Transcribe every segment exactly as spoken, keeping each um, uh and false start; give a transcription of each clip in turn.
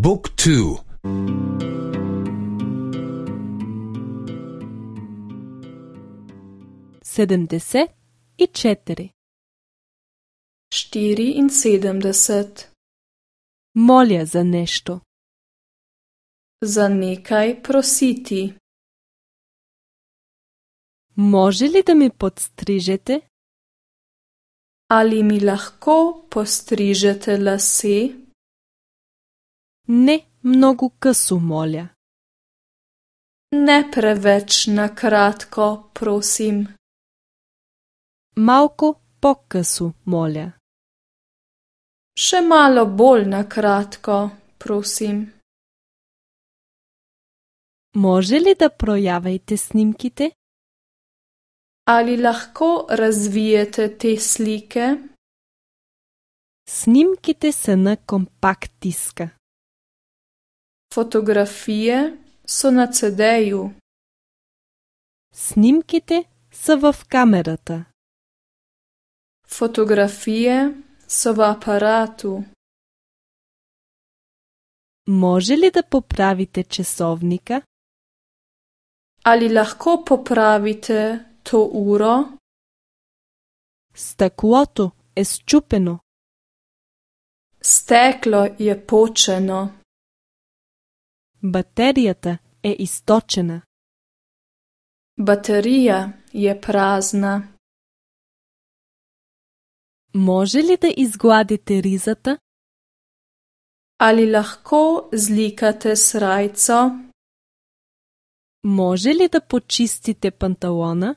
บุ๊กทูsedemdeset i četiri. štiriinsedemdeset. Molja za nešto. Za nekaj prositi. Može li da mi podstrižete? Ali mi lahko postrižete lase? Ne mnogo късо, моля. Ne preveč na kratko, prosim. Малко по-късо, моля. Še malo bolj na kratko, prosim. Може ли да проявите снимките? Ali lahko razvijete te slike? Снимките са на компакт диска. Fotografije so na cedeju. Снимките са в камерата. Fotografije so v aparatu. Може ли да поправите часовника? Ali lahko popravite to uro? Стъклото е счупено. Steklo je počeno. Батерията е източена. Baterija je prazna. Може ли да изгладите ризата? Ali lahko zlikate srajco? Може ли да почистите панталона?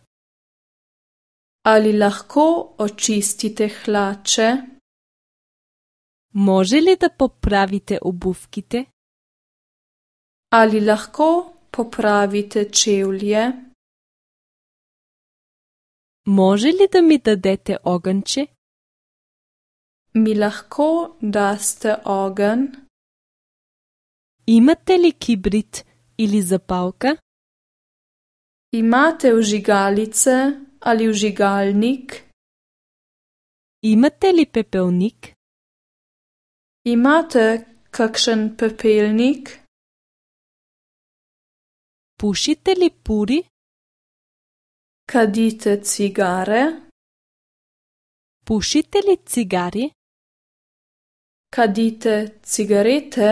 Ali lahko očistite hlače? Може ли да поправите обувките? Ali lahko popravite čevlje? Може ли да ми дадете огънче? Mi lahko daste ogenj? Имате ли кибрид или запалка? Imate vžigalice ali vžigalnik? Имате ли пепелник? Imate kakšen pepelnik? Пушите ли пури? Kadite cigare? Пушите ли цигари? Kadite cigarete?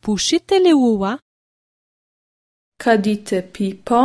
Пушите ли лула? Kadite pipo?